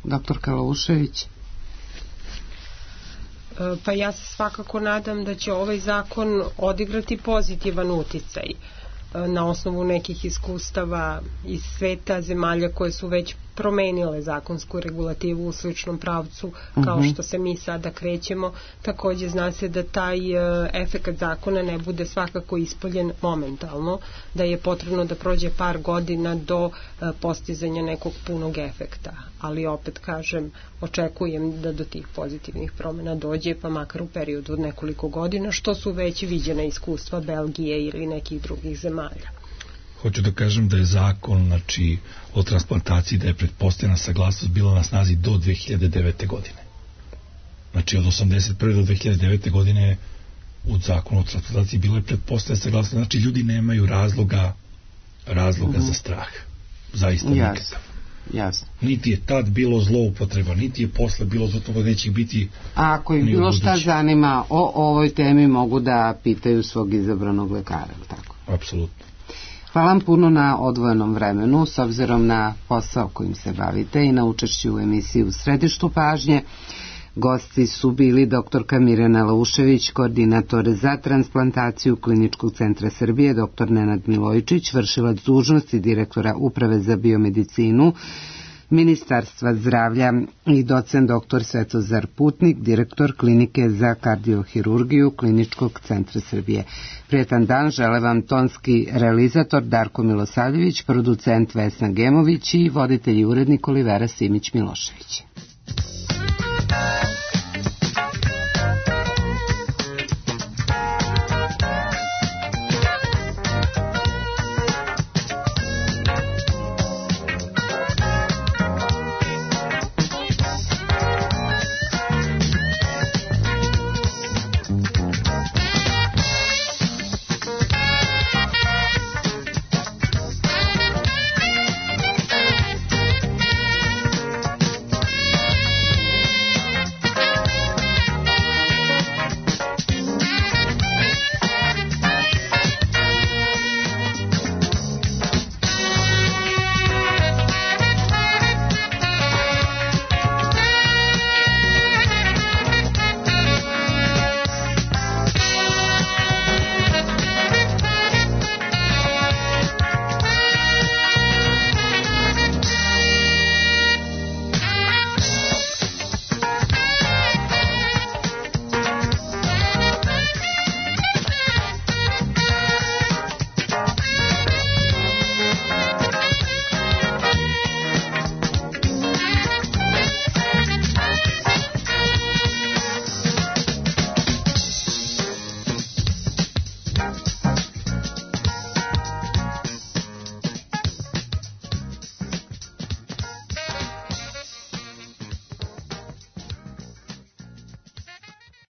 Doktor Kalaušević. Pa ja se svakako nadam da će ovaj zakon odigrati pozitivan uticaj na osnovu nekih iskustava iz sveta, zemalja koje su već promenile zakonsku regulativu u sličnom pravcu kao uh-huh. što se mi sada krećemo. Takođe zna se da taj efekat zakona ne bude svakako ispoljen momentalno, da je potrebno da prođe par godina do postizanja nekog punog efekta, ali opet kažem, očekujem da do tih pozitivnih promjena dođe, pa makar u periodu od nekoliko godina, što su već viđena iskustva Belgije ili nekih drugih zemalja. Hoću da kažem da je zakon, znači, o transplantaciji, da je pretpostavljena saglasnost bila na snazi do dve hiljade devete. godine. Znači, od osamdeset prve do dve hiljade devete. godine u zakonu o transplantaciji bilo je pretpostavljena saglasnost. Znači, ljudi nemaju razloga razloga mm-hmm. za strah. Zaista nikakav. Jasno. Niti je tad bilo zloupotreba, niti je posle bilo zloupotreba, neće biti. A ako im bilo šta zanima o ovoj temi, mogu da pitaju svog izabranog lekara, tako? Apsolutno. Hvala vam puno na odvojenom vremenu, s obzirom na posao kojim se bavite i na učešću u emisiji U središtu pažnje. Gosti su bili doktorka Mirjana Laušević, koordinator za transplantaciju Kliničkog centra Srbije, doktor Nenad Milojičić, vršilac dužnosti direktora Uprave za biomedicinu Ministarstva zdravlja i docent doktor Svetozar Putnik, direktor Klinike za kardiohirurgiju Kliničkog centra Srbije. Prijetan dan žele vam tonski realizator Darko Milosavljević, producent Vesna Gemović i voditelj i urednik Olivera Simić Milošević.